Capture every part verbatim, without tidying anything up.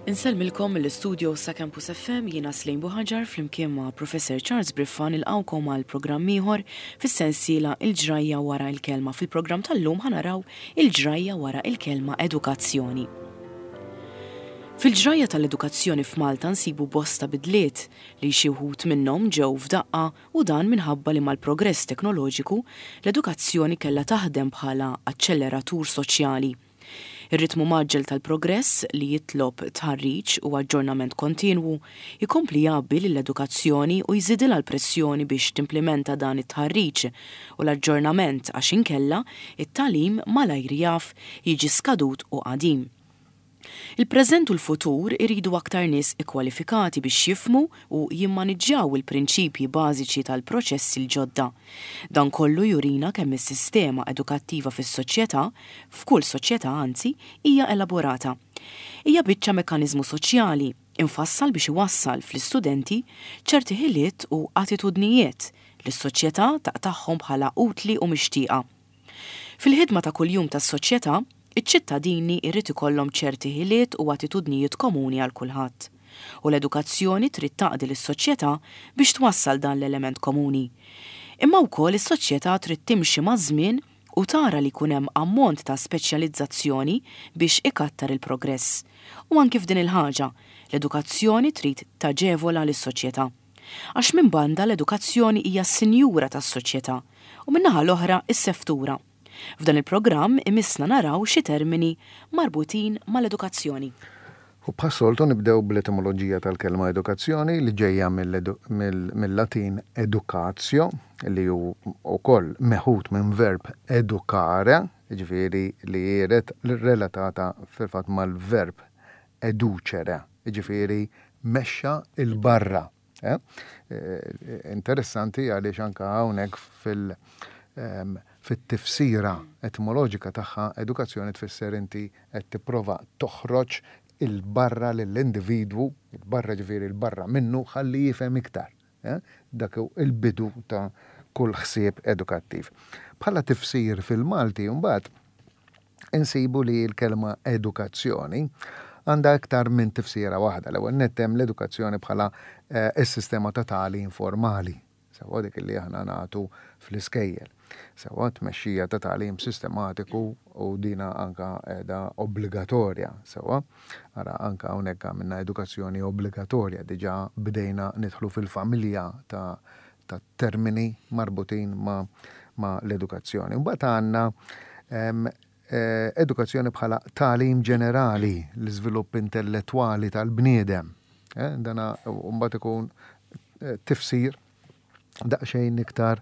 Insellmilkom mill-istudio sa' Campus F M, jiena Slejn Buħaġar flimkien ma' Professor Charles Briffa nilqgħukom għal programm ieħor fis-sensiela Il-ġrajja wara il-kelma. Fil-programm tal-lum ħa naraw il-ġrajja wara il-kelma edukazzjoni. Fil-ġrajja tal-edukazzjoni f'Malta nsibu bosta bidliet li xi wħud minnhom ġew f'daqqa, u dan minħabba li mal-progress teknoloġiku l-edukazzjoni kellha taħdem bħala aċċelleratur soċjali. Ir-ritmu mgħaġġel tal-progress, li jitlob tħarriġ u aġġornament kontinwu, jkompli jgħabbi lill-edukazzjoni u jżidilha l-pressjoni biex timplementa dan it-tħarriġ u l-aġġornament, għax inkella it-tagħlim malajr jaf jiġi skadut u qadim. Il-preżent u l-futur iridu aktar nies ikkwalifikati biex jifhmu u jimmaniġġjaw il-prinċipji bażiċi tal-proċessi l-ġodda. Dan kollu jurina kemm is-sistema edukattiva fis-soċjetà, f'kull soċjetà anzi, hija elaborata. Hija biċċa mekkaniżmu soċjali infassal biex iwassal fl-istudenti ċerti ħiliet u attitudnijiet li s-soċjetà taqtagħhom bħala utli u mixtieqa. Fil-ħidma ta' kuljum tas-soċjetà, iċ-ċittadini jrid ikollhom ċerti ħiliet u attitudnijiet komuni għal kulħadd. U l-edukazzjoni trid taqdi lis-soċjetà biex twassal dan l-element komuni. Imma wkoll is-soċjetà trid timxi maż-żmien u tara li jkun hemm ammont ta' speċjalizzazzjoni biex ikattar il-progress. U anki f'din il-ħaġa, l-edukazzjoni trid taġevola lis-soċjetà. Għax minn banda l-edukazzjoni hija s-sinjura tas-soċjetà u min-naħa l-oħra is-seftura. F'dan il-programm imissna naraw xi termini marbutin mal-edukazzjoni. U bħas-soltu nibdew bl-etimoloġija tal-kelma edukazzjoni, li ġejja mill-Latin educatio, li hu wkoll meħud minn verb educare, ġifieri li jiret relatata fil-fatt mal-verb educere, ġifieri mexxa 'il barra. Eh? Eh, interessanti għaliex anka hawnhekk fil- ehm, fit-tifsira etimoloġika tagħha, edukazzjoni tfisser inti qed tipprova toħroġ 'il barra lill-individwu, il-barra ġifieri il-barra minnu, ħalli jifhem iktar. Eh? Dak il-bidu ta' kull ħsieb edukattiv. Bħala tifsir fil-Malti mbagħad insibu li l-kelma edukazzjoni għandha iktar minn tifsira waħda. L-ewwel nett hemm l-edukazzjoni bħala eh, is-sistema ta' tagħlim formali, sewwa, dik li aħna nagħtu fl-iskejjel. Sewwa, tmexxija ta' tagħlim sistematiku, u dina anka qiegħda obbligatorja, sewwa. Ara anka hawnhekk għamilna edukazzjoni obbligatorja, diġà bdejna nidħlu fil-familja ta' ta' termini marbutin ma', ma l-edukazzjoni. Mbagħad għandna eh, edukazzjoni bħala tagħlim ġenerali, l-iżvilupp intellettwali tal-bniedem. Eh, dana mbagħad ikun eh, tifsir daqsxejn iktar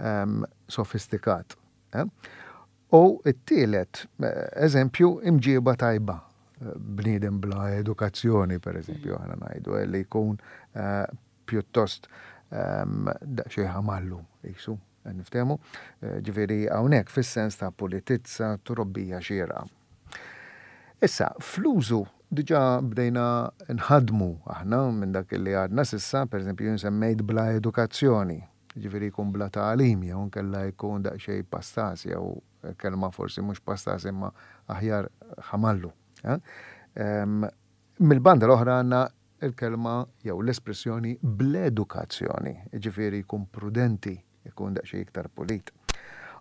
um, sofistikat. Eh? U t-tielet eżempju, imġieba tajba. Bniedem bla edukazzjoni, per eżempju, aħna ngħidu, li jkun uh, pjuttost um, daqsxejn ħamallu, jisu, niftehmu, ġifieri hawnhekk fis-sens ta' pulitizza, trobbija xierqa. Issa, fl-użu diġà bdejna nħadmu aħna minn dak li għadna s'issa, per eżempju, semmejt bla edukazzjoni, ġifieri jkun bla tagħlim, jew nkella jkun daqsxejn pastas, jew kelma forsi mhux pastas imma aħjar ħamallu. Eh? Mill-banda l-oħra għandna il-kelma jew l-espressjoni bl-edukazzjoni, ġifieri jkun prudenti, jkun daqsxejn iktar pulit.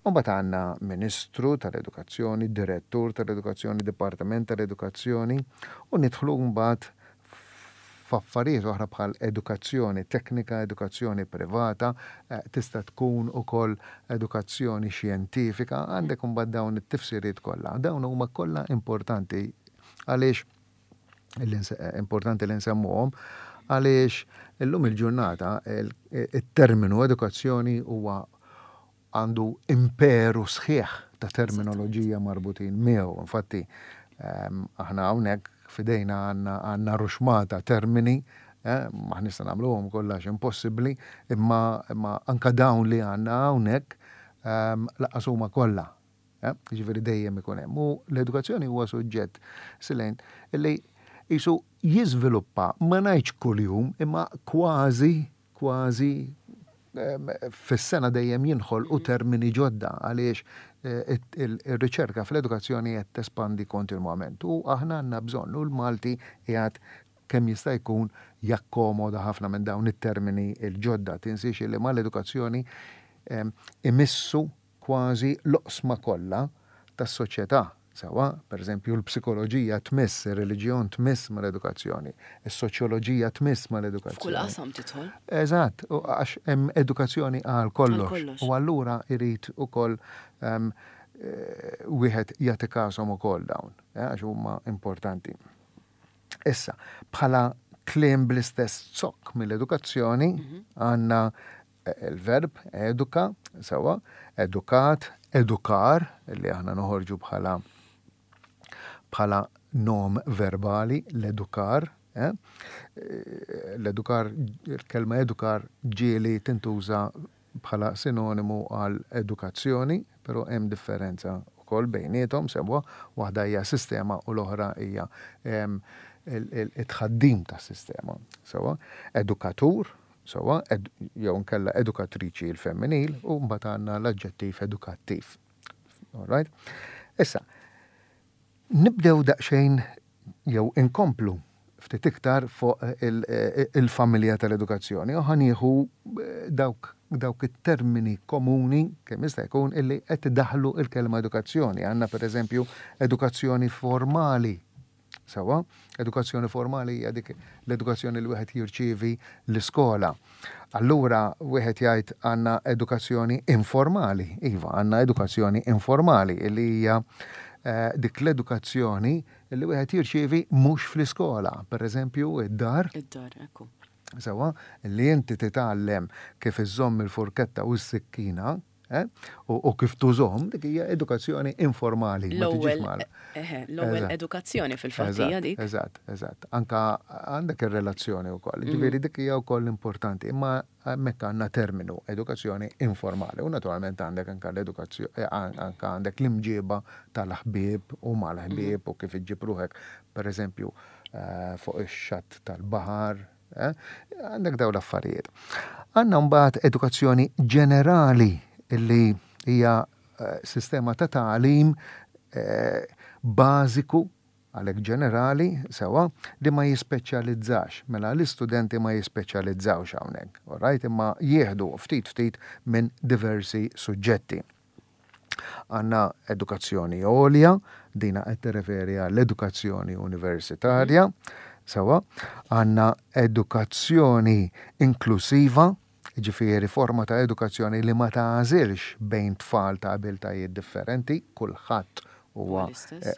Umbagħad għandna Ministru tal-Edukazzjoni, Direttur tal-Edukazzjoni, Dipartiment tal-Edukazzjoni, u nidħlu mbagħad f'affarijiet oħra bħal edukazzjoni teknika, edukazzjoni privata, eh, tista' tkun ukoll edukazzjoni xjentifika, għandek imbagħad dawn it-tifsiriet kollha. Dawn huma kollha importanti għaliex importanti li nsemmuhom, għaliex illum il-ġurnata il-terminu edukazzjoni huwa għandu imperu sħiħ ta' terminoloġija marbutin miegħu. Infatti, ehm, aħna hawnhekk f'idejna għandna ruxmata termini, eh, ma nista' nagħmluhom kollha, impossibbli, imma, imma anka dawn li għandna hawnhekk ehm, lanqas huma kollha. Eh, ġifieri dejjem ikun hemm. U l-edukazzjoni huwa suġġett, Silejn, illi jisu jiżviluppa, ma ngħidx kuljum, imma kważi, kważi fis-sena dejjem jinħolqu termini ġodda, għaliex Il-riċerka fl-edukazzjoni qed tespandi kontinwament u aħna għandna bżonn u l-Malti qiegħed kemm jista' jkun jakkomoda ħafna minn dawn it-termini il-ġodda. Tinsiex li mal-edukazzjoni imissu kważi l-oqsma kollha tas-soċjetà. Sewwa, per eżempju, l-psikoloġija tmiss, ir-reliġjon tmiss mal-edukazzjoni, is-soċjoloġija tmiss mal-edukazzjoni. F'kull qasam tidħol. Eżatt, għax hemm edukazzjoni għal kollox. U allura irid ukoll wieħed jagħti kashom ukoll dawn, għax huma importanti. Issa, bħala kliem bl-istess zokk mill-edukazzjoni, għandna il-verb eduka, sewwa, edukat, edukar, li aħna noħorġu bħala bħala nom verbali, l-edukar. Eh? L-edukar, il-kelma edukar ġieli tintuża bħala sinonimu għal edukazzjoni, però hemm differenza wkoll bejniethom, sewwa, waħda hija sistema u l-oħra hija it-tħaddim tas-sistema. Sewwa, edukatur, sewwa, jew nkella edukatriċi il-femminil, u mbagħad għandna l-aġġettiv edukattiv. All right? Issa, nibdew daqsxejn jew inkomplu ftit iktar fuq il-familja tal-edukazzjoni. U ħa nieħu dawk dawk it-termini komuni kemm jista' jkun illi qed idaħlu il-kelma edukazzjoni. Għandna pereżempju edukazzjoni formali. Sewwa, edukazzjoni formali hija dik l-edukazzjoni li wieħed jirċievi l-iskola. Allura wieħed jgħid għandna edukazzjoni informali. Iva, għandna edukazzjoni informali illi hija dik l-edukazzjoni li wieħed jirċievi mhux fl-iskola, per eżempju id-dar. Id-dar, ekku. Sewwa, li inti titgħallem kif iżżomm il-furketta u s-sikkina, eh, u kif tużhom, dik hija edukazzjoni informali. L-ewwel l-ewwel edukazzjoni fil-fatt hija dik. Eżatt, eżatt. Anka għandek ir-relazzjoni wkoll. Ġifieri dik hija wkoll importanti, imma hemmhekk għandna terminu edukazzjoni informali u naturalment għandek anka l-edukazzjoni, anka għandek l-imġiba tal-ħbieb u mal-ħbieb u kif iġġib ruħek, per eżempju, fuq ix-xatt tal-baħar, għandek dawn l-affarijiet. Għandna mbagħad edukazzjoni ġenerali illi hija sistema ta' tagħlim bażiku għalhekk ġenerali, sewwa, li ma jispeċjalizzax. Mela l-istudenti ma jispeċjalizzawx hawnhekk, all right? Imma jieħdu ftit ftit minn diversi suġġetti. Għandna edukazzjoni għolja, dina qed tirreferi għall-edukazzjoni universitarja, sewwa, għandna edukazzjoni inklusiva, ġifieri forma ta' edukazzjoni li ma tagħżilx bejn tfal ta' abiltajiet differenti, kulħadd huwa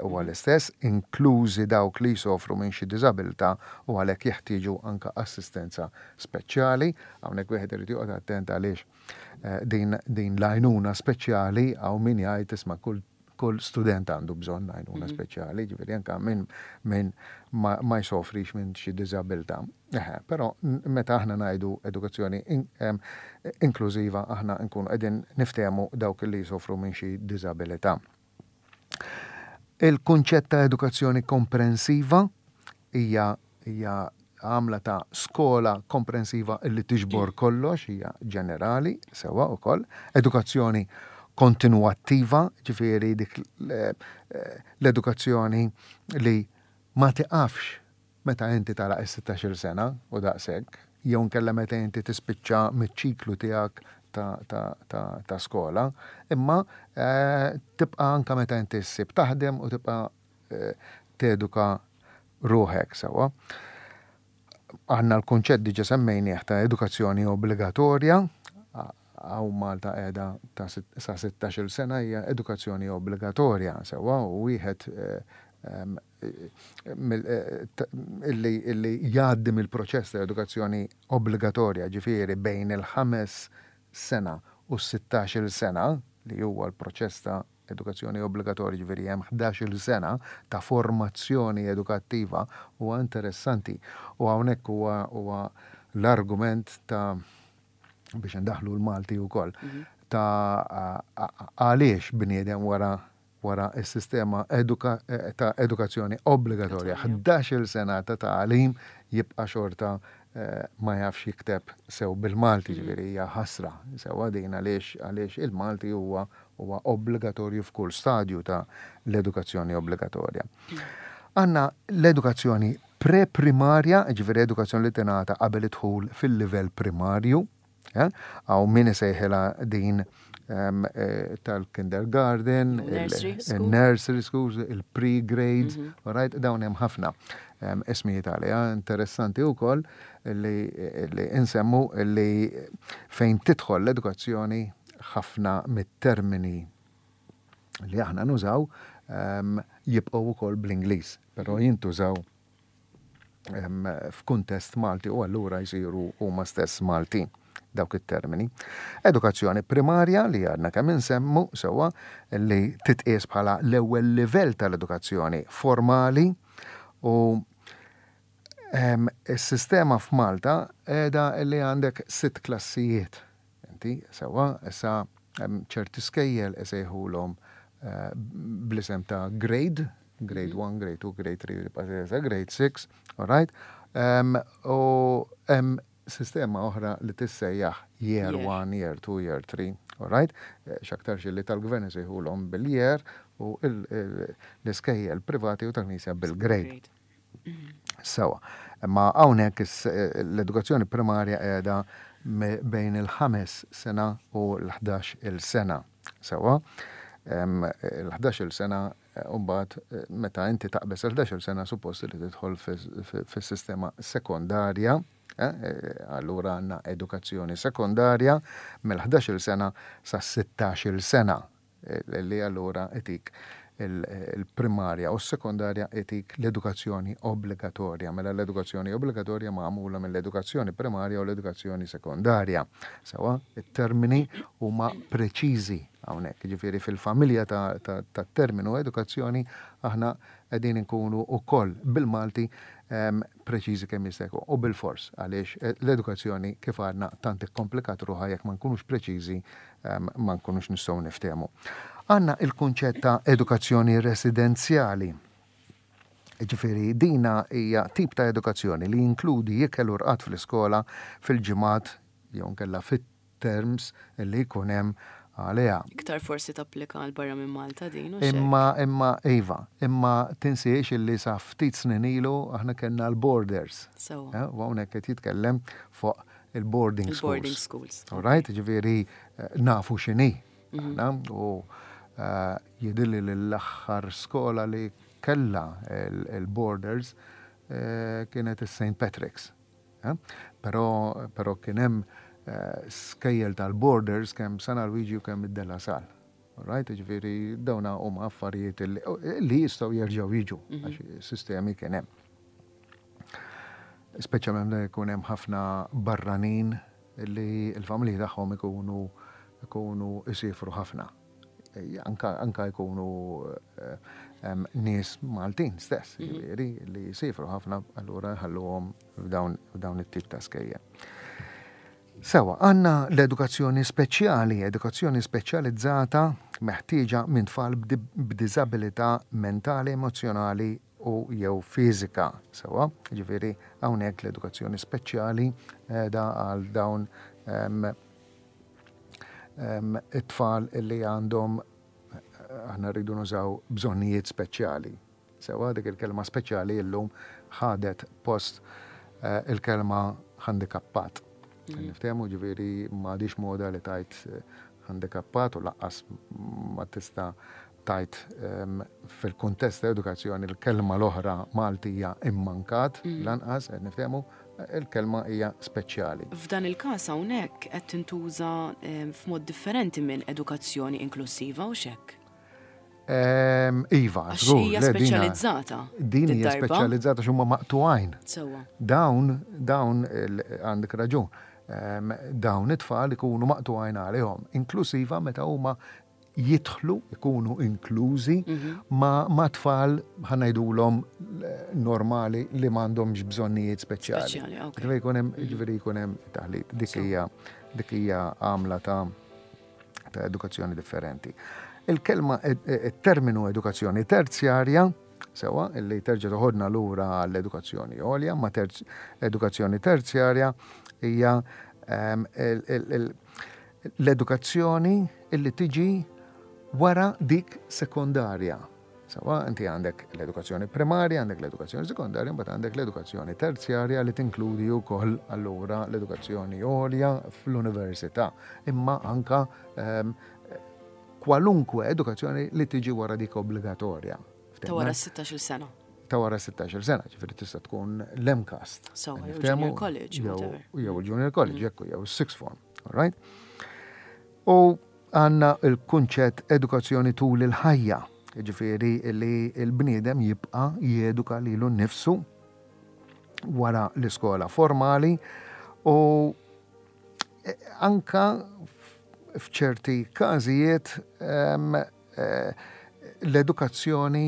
huwa l-istess, inklużi dawk li jsofru minn xi diżabilità u għalhekk jeħtieġu anka assistenza speċjali. Hawnhekk wieħed irid joqgħod attent għaliex din din l-għajnuna speċjali hawn min jgħid isma' kull kull student għandu bżonn għajnuna speċjali, ġifieri anka minn min ma, ma jsofrix minn xi diżabilità. Eħe, però meta aħna ngħidu edukazzjoni in, em, inklużiva aħna nkunu qegħdin niftehmu dawk li jsofru minn xi diżabilità. Il-kunċett ta' edukazzjoni komprensiva hija hija għamla ta' skola komprensiva illi tiġbor kollox, hija ġenerali, sewwa wkoll. Edukazzjoni kontinuattiva, ġifieri dik l-edukazzjoni li ma tiqafx meta inti tagħlaq is-sittax-il sena u daqshekk, jew nkella meta inti tispiċċa miċ-ċiklu tiegħek ta', ta, ta, ta' skola, imma eh, tibqa' anka meta inti ssib taħdem u tibqa' eh, teduka ruħek sewwa. Għandna l-kunċett diġà semmejnieh ta' edukazzjoni obbligatorja, hawn Malta qiegħda ta' sa sittax-il sena hija edukazzjoni obbligatorja sewwa, u wieħed illi illi jgħaddi mill-proċess ta' edukazzjoni obbligatorja, ġifieri bejn il-ħames sena u s-sittax-il sena, li huwa l-proċess ta' edukazzjoni obbligatorja, ġifieri hemm ħdax-il sena ta' formazzjoni edukattiva, huwa interessanti. U hawnhekk huwa huwa l-argument ta' biex ndaħlu l-Malti wkoll, ta' għaliex bniedem wara wara s-sistema eduka, ta' edukazzjoni obbligatorja ħdax-il sena ta' tagħlim jibqa' xorta eh, ma jafx jikteb sew bil-Malti, ġifieri hija ħasra. Sewwa din, għaliex għaliex il-Malti huwa huwa obbligatorju f'kull stadju ta' l-edukazzjoni obbligatorja. Għandna l-edukazzjoni pre-primarja, ġifieri edukazzjoni li tingħata qabel idħul fil-livell primarju, hawn min isejħilha din eh, tal-kindergarten, il-nursery schools, il-pre-grades, mhm. right, dawn hemm ħafna ismijiet għaliha. Interessanti wkoll li, li insemmu li fejn tidħol l-edukazzjoni, ħafna mit-termini li aħna nużaw jibqgħu wkoll bl-Ingliż, però jintużaw f'kuntest Malti u allura jsiru huma stess Malti dawk it-termini. Edukazzjoni primarja li għadna kemm insemmu, sewwa, li titqies bħala l-ewwel livell tal-edukazzjoni formali, u is-sistema f'Malta qiegħda li għandek sitt klassijiet. Inti, sewwa, issa ċerti skejjel isejħulhom eh, bl-isem ta' grade, grade one, grade two, grade three, grade six, all right? Um, u hemm sistema oħra li tissejjaħ year one, year two, year three, all right? Eh, x'aktarx li tal-gvern isejħulhom bil-year u l-iskejjel privati u tal-knisja bil-grade. Sewwa, imma hawnhekk l-edukazzjoni primarja qiegħda bejn il-ħames sena u l-ħdax il sena. Sewwa, l-ħdax il sena. Umbagħad, meta inti taqbeż il-ħdax il sena, suppost li tidħol fis-sistema sekondarja, eh, allura għandna edukazzjoni sekondarja mill-ħdax il sena sa sittax il sena, eh, li allura itik il-primarja u s-sekondarja, itik l-edukazzjoni obbligatorja. Mela l-edukazzjoni obbligatorja magħmula mill-edukazzjoni primarja u l-edukazzjoni sekondarja. Sewwa, it-termini huma preċiżi hawnhekk. Ġifieri fil-familja ta' terminu edukazzjoni aħna qegħdin inkunu wkoll bil-Malti preċiżi kemm jista' jkun u bil-fors, għaliex eh, l-edukazzjoni, kif għadna, tant ikkomplikat ruħha, jekk ma nkunux preċiżi ma nkunux nistgħu niftehmu. Għandna il-kunċett ta' edukazzjoni residenzjali. Ġifieri dina hija tip ta' edukazzjoni li jinkludi ikel u rqad fl-iskola fil-ġimgħat jew nkella fit-terms li jkun hemm għaliha. Iktar forsi tapplika għal barra minn Malta din. Imma, imma, iva, imma tinsiex illi sa ftit snin ilu aħna kellna l-boarders. So. U hawnhekk qed jitkellem fuq il-boarding schools. Boarding schools. All right, ġifieri eh, nafu x'inhi. Mhm. U eh, jidhirli l-aħħar skola li kella il-boarders eh, kienet il-Saint Patrick's. Però, però kien hemm skejjel tal-boarders kemm San Alwiġi u kemm id-De La Salle. Right, ġifieri dawna huma affarijiet li jistgħu jerġgħu jiġu, mhm. għax sistemi kien hemm. Speċjalment jkun hemm ħafna barranin li l-familji tagħhom ikunu ikunu isifru ħafna. Anka, anka jkunu eh, nies Maltin stess, mhm. ġifieri li jisifru ħafna, allura jħalluhom f'dawn it-tip ta' skejjel. Sewwa, għandna l-edukazzjoni speċjali, edukazzjoni speċjalizzata meħtieġa minn tfal b'diżabilità mentali, emozjonali u jew fiżika. Sewwa, ġifieri hawnhekk l-edukazzjoni speċjali da għal dawn it-tfal li għandhom, aħna rridu nużaw, bżonnijiet speċjali. Sewwa, dik il-kelma speċjali illum ħadet post eh, il-kelma handikappat. Mm. Niftehmu, ġifieri m'għadix moda li tgħid eh, handikappat u lanqas ma tista' tgħid um, fil-kuntest ta' edukazzjoni l-kelma l-oħra Maltija immankat, mm. lanqas, qed niftehmu, il-kelma hija speċjali. F'dan il-każ hawnhekk qed tintuża f'mod differenti minn edukazzjoni inklusiva u hekk. Iva, żgur. Hija speċjalizzata. Din hija speċjalizzata x'huma maqtugħin. Sewwa. Dawn, dawn għandek raġun. Dawn it-tfal ikunu maqtugħin għalihom. Inklusiva meta huma jidħlu, ikunu inklużi mhm. ma, ma tfal, ħa ngħidulhom, normali li m'għandhomx bżonnijiet speċjali. Ġifieri jkun hemm mhm. ġifieri jkun hemm taħlit. Dik hija dik hija għamla ta' ta' edukazzjoni differenti. Il-kelma, il-terminu edukazzjoni terzjarja Sewwa, illi terġa' toħodna lura l-edukazzjoni għolja, ma terz, edukazzjoni terzjarja hija ehm, l-edukazzjoni illi tiġi wara dik sekondarja. Sewwa, inti għandek l-edukazzjoni primarja, għandek l-edukazzjoni sekondarja, mbagħad għandek l-edukazzjoni terzjarja li tinkludi wkoll allura l-edukazzjoni għolja fl-università, imma anka um, kwalunkwe edukazzjoni li tiġi wara dik obbligatorja. Ta' wara sittax-il sena. Ta' wara sittax-il sena, ġifieri tista' tkun l-MCAST. So, jew junior college. Jew junior college, mm. jew sixth form. All right? U għandna il-kunċett edukazzjoni tul il-ħajja, ġifieri li l-bniedem jibqa' jeduka lilu nnifsu wara l-iskola formali u eh, anka f'ċerti każijiet eh, l-edukazzjoni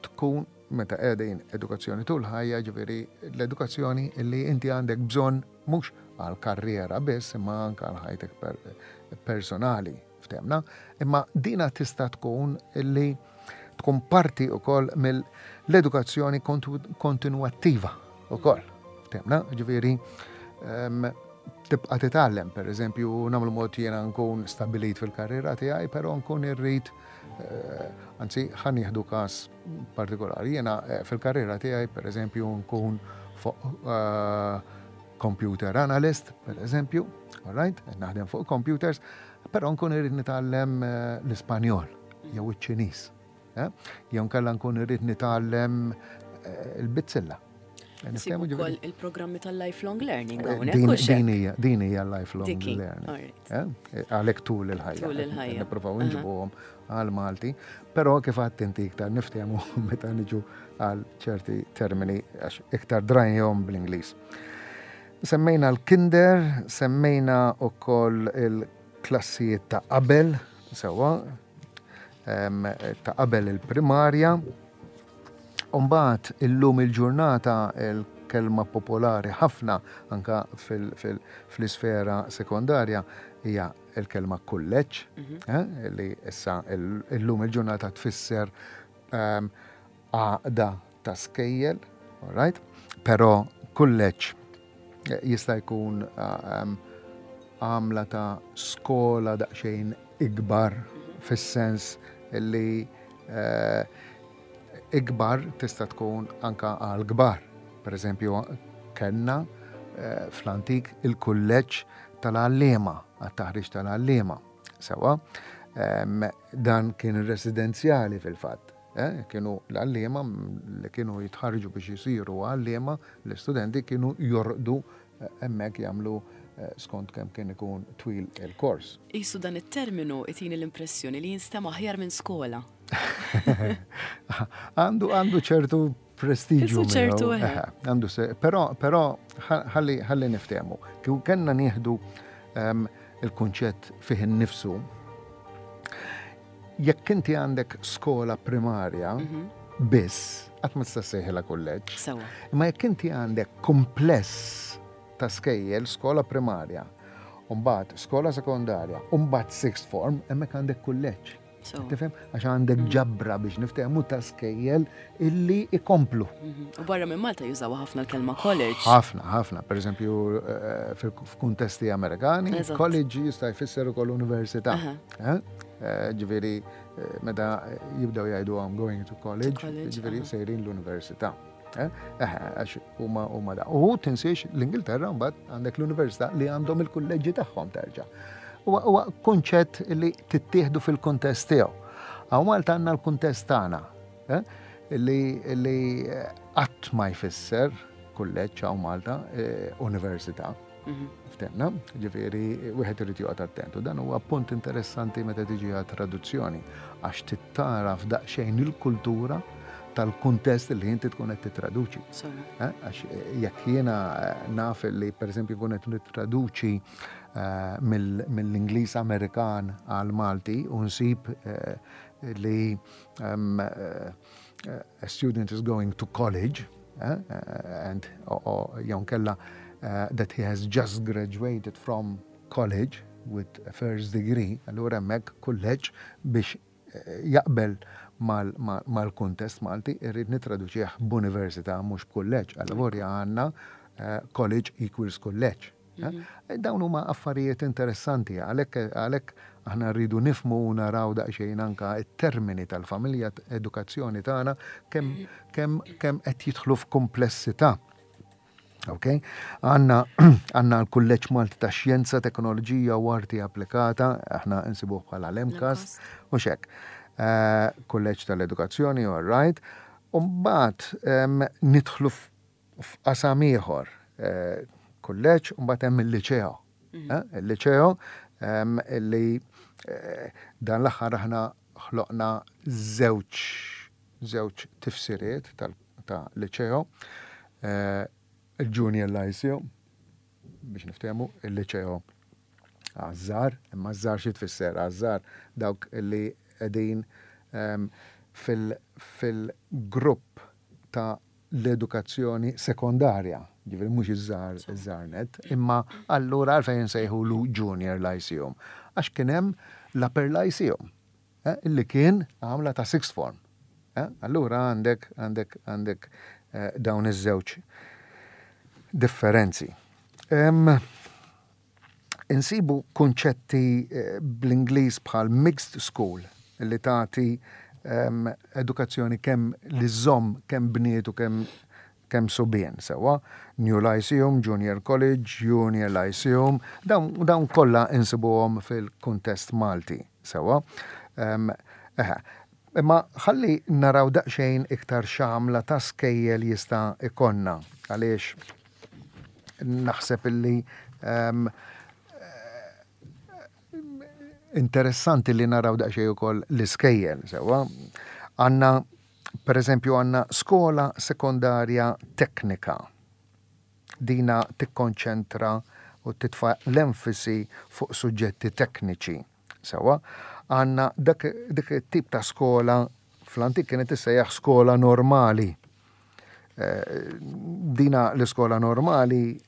tkun, meta qegħdin edukazzjoni tul ħajja, ġifieri l-edukazzjoni li inti għandek bżonn mhux għal karriera biss imma anka għal ħajtek personali, ftehmna, imma dina tista' tkun illi tkun parti ukoll mill-edukazzjoni kontinuattiva ukoll. Ftehmna, ġifieri tibqa' titgħallem, per eżempju, nagħmlu mod jiena nkun stabilit fil-karriera tiegħi, però nkun irrid, eh, anzi ħa nieħdu każ partikolari, jiena eh, fil-karriera tiegħi, per eżempju, nkun fuq eh, computer analyst, per eżempju, all right, naħdem fuq computers, però nkun irrid nitgħallem l-Ispanjol jew iċ-Ċiniż. Jew nkella nkun irrid nitgħallem il-bizzilla. Nsibu wkoll il-programmi tal-lifelong learning. Din hija din hija lifelong learning. Eh? Għalhekk tul il-ħajja. Tul il-ħajja. Nippruvaw nġibuhom għal Malti, però kif għedt inti iktar niftehmu meta niġu għal ċerti termini għax iktar drajnihom bl-Ingliż. Semmejna l-kinder, semmejna wkoll il-klassijiet ta' qabel, sewwa, ta' qabel il-primarja. Umbagħad illum il-ġurnata il-kelma popolari ħafna anka fl-isfera sekondarja hija il-kelma kulleġġ, mhm. eh, li issa illum il-ġurnata tfisser ehm, għaqda ta' skejjel, all right? Però kulleġġ eh, jista' jkun ehm, għamla ta' skola daqsxejn ikbar fis-sens li eh, ikbar tista' tkun anka għal kbar. Per eżempju, kellna eh, fl-antik il-kulleġġ tal-għalliema, għat-taħriġ tal-għalliema. Sewwa, dan kien residenzjali fil-fatt. Eh, kienu l-għalliema li kienu jitħarġu biex jisiru għalliema, l-istudenti kienu jorqdu eh, hemmhekk jagħmlu skont kemm kien ikun twil il-kors. Isu dan it-terminu itini l-impressjoni li jinstema' aħjar minn skola. Għandu għandu ċertu prestiġu. Ċertu. Għandu se, però però ħalli ħalli niftehmu. Kieku kellna nieħdu ehm, il-kunċett fih innifsu, jekk inti għandek skola primarja mhm. biss, qatt ma tista' ssejħilha kulleġġ. Imma jekk inti għandek kumpless ta' skejjel, skola primarja, mbagħad skola sekondarja, mbagħad sixth form, hemmhekk għandek kulleġġ. Tifhem? Għax għandek mm. ġabra, biex niftehmu, ta' skejjel illi ikomplu. Mhm. U barra minn Malta jużaw ħafna l-kelma college. Ħafna, ħafna. Per eżempju, eh, f'kuntesti Amerikani, college jista' jfisser ukoll università. Eh? Eh, ġifieri, meta jibdew jgħidu "I'm going to college", ġifieri sejrin l-università. Għax huma huma da. U tinsiex l-Ingilterra mbagħad għandek l-università li għandhom il-kulleġġi tagħhom terġa'. Huwa kunċett li tittieħdu fil-kuntest tiegħu. Hawn Malta għandna l-kuntest tagħna eh, li li qatt ma jfisser kulleġġ hawn Malta, eh, università. Mhm. Ftehmna, ġifieri wieħed irid joqgħod attent. U dan huwa punt interessanti meta tiġi għat traduzzjoni għax tittara f'daqsxejn il-kultura tal-kuntest li inti tkun qed titraduċi. Eh, għax jekk jiena naf li, pereżempju, kun qed nittraduċi eh, mill-Ingliż Amerikan għal Malti u nsib eh, li um, a student is going to college and jew kella that he has just graduated from college with a first degree, allura hemmhekk kulleġġ biex jaqbel mal-kuntest Malti, irrid nitraduċih b'università, mhux b'kulleġġ. Allavolja għandna college equals kulleġġ. Dawn huma affarijiet interessanti, għalhekk għalhekk aħna rridu nifhmu u naraw daqsxejn anka it-termini tal-familja edukazzjoni tagħna, kemm kemm kemm qed jidħlu f'komplessità. Ok? Għandna għandna l-Kulleġġ Malti ta' Xjenza, Teknoloġija u Arti Applikata, aħna nsibuh bħala l-MCAST, u hekk. Kulleġġ tal-Edukazzjoni, all right. U mbagħad nidħlu f'qasam ieħor, kulleġġ, u mbagħad hemm il-liċeo. Il-liċeo li dan l-aħħar aħna ħloqna żewġ żewġ tifsiriet ta' liċeo. Il-Junior Lyceum, biex niftehmu, il-liċeo għaż-żgħar, imma żgħar xi tfisser? Għaż-żgħar dawk li qegħdin fil-grupp ta' l-edukazzjoni sekondarja, ġifieri mhux iż-żgħar iż-żgħar net, imma allura għalfejn nsejħulu Junior Lyceum? Għax kien hemm l-Upper Lyceum, illi kien għamla ta' sixth form. Allura għandek għandek għandek dawn iż-żewġ differenzi. Insibu kunċetti bl-Ingliż bħal mixed school, li tagħti edukazzjoni kemm li żomm kemm bniet u kemm kemm subien, sewwa. New Lyceum, Junior College, Junior Lyceum, dawn, dawn kollha insibuhom fil-kuntest Malti, sewwa. Eħe, imma ħalli naraw daqsxejn iktar x'għamla ta' skejjel jista' ikollna, għaliex naħseb illi um, interessanti li naraw daqsxejn ukoll l-iskejjel, sewwa. Għandna, per eżempju, għandna skola sekondarja teknika. Dina tikkonċentra u titfa' l-enfasi fuq suġġetti tekniċi. Sewwa, għandna dak dik it-tip ta' skola fl-antik kienet tissejjaħ skola normali. Dina l-iskola normali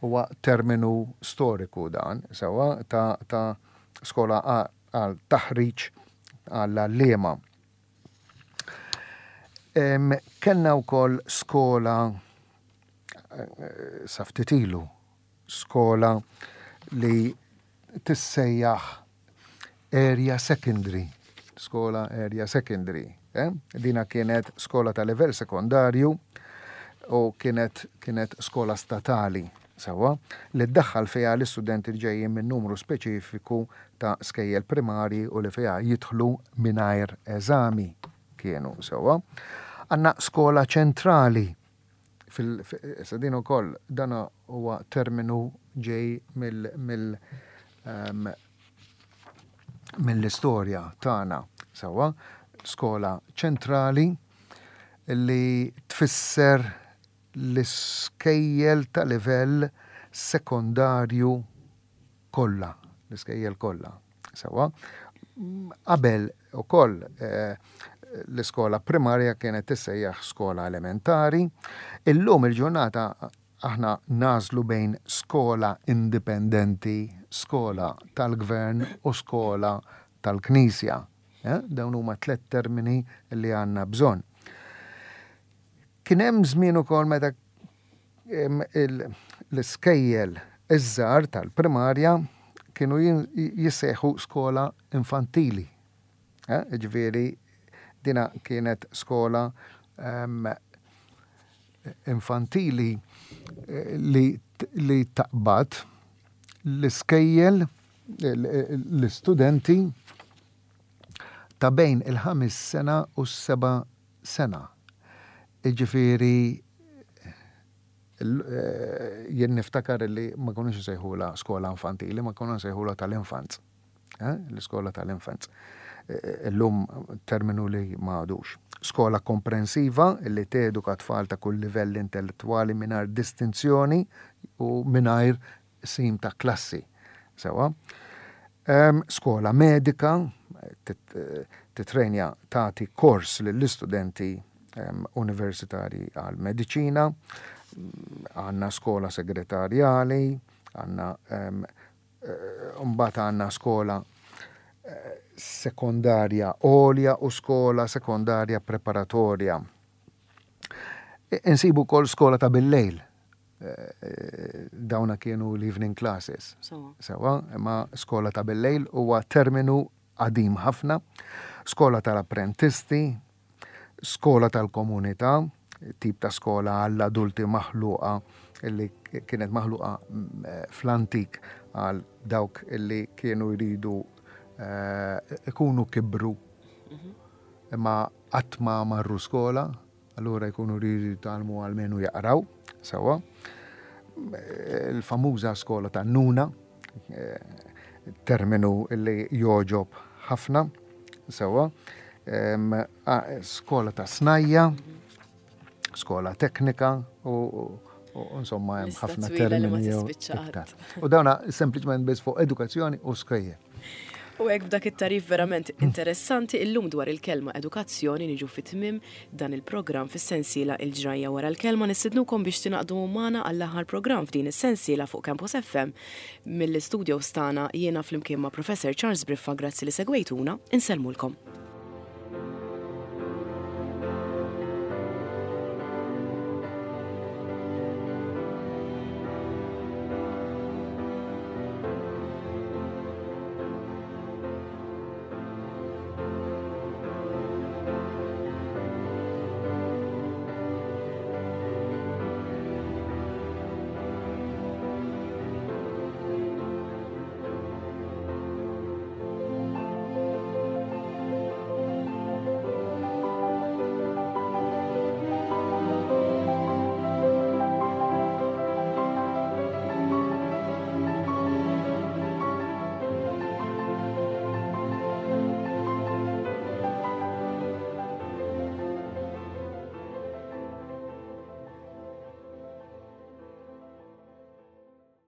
huwa terminu storiku dan, sewwa, ta', ta' skola għal taħriġ għall-għalliema. Kellna wkoll skola sa ftit ilu, skola li tissejjaħ area secondary, skola area secondary. Eh? Dina kienet skola ta' livell sekondarju u kienet, kienet skola statali, sewwa, li ddaħħal fiha l-istudenti li ġejjin minn numru speċifiku ta' skejjel primari u li fiha jidħlu mingħajr eżami kienu, sewwa. Għandna skola ċentrali. Fil, issa din ukoll dan huwa terminu ġej mill, mill, um, mill-istorja tagħna, sewwa. Skola ċentrali li tfisser l-iskejjel ta' livell sekondarju kollha, l-iskejjel kollha. Sewwa. Qabel ukoll eh, l-iskola primarja kienet tissejjaħ skola elementari. Illum il-ġurnata aħna nagħżlu bejn skola indipendenti, skola tal-gvern u skola tal-knisja. Eh? Dawn huma tliet termini li għandna bżonn. Kien hemm żmien ukoll meta l-iskejjel iż-żgħar tal-primarja kienu jissejħu skola infantili. Eh? Ġifieri dina kienet skola um, infantili li, li taqbad l-iskejjel l-istudenti ta' bejn il-ħames sena u s-seba' sena. Ġifieri jien niftakar li ma konux nsejħula skola infantili, ma konna nsejħula tal-infants. L-iskola tal-infants. Illum terminu li ma għadux. Skola komprensiva li teduka tfal ta' kull livell intellettwali mingħajr distinzjoni u mingħajr sim ta' klassi. Sewwa. Skola medika titrenja, tagħti kors lill-istudenti universitari għal mediċina, għandna skola segretarjali, għandna mbagħad għandna skola Sekondarja Għolja u Skola Sekondarja Preparatorja. Insibu wkoll skola ta' bil-lejl. Dawna kienu l-evening classes. Sewa, imma skola ta' bil-lejl huwa terminu qadim ħafna. Skola tal-apprentisti, skola tal-komunità, tip ta' skola għall-adulti maħluqa illi kienet maħluqa fl-antik għal dawk illi kienu jridu ikunu kibru imma qatt ma marru skola, allura jkunu jridu jitgħallmu almenu jaqraw, sewa. Il-famuża skola ta' Nuna, terminu illi joġob ħafna, sewa. Skola ta' snajja, skola teknika u insomma hemm ħafna termini iktar. U dawna sempliċement biss fuq edukazzjoni u skejjel. U hekk, b'dak it-tagħrif verament interessanti illum dwar il-kelma edukazzjoni, niġu fi tmiem dan il-programm fis-sensiela Il-Ġrajja wara l-Kelma. Nistednukom biex tingħaqdu magħna għall-aħħar programm f'din is-sensiela fuq Campus F M. Mill-istudio tagħna, jiena flimkien ma' Professor Charles Briffa, grazzi li segwejtuna, insellmulkom.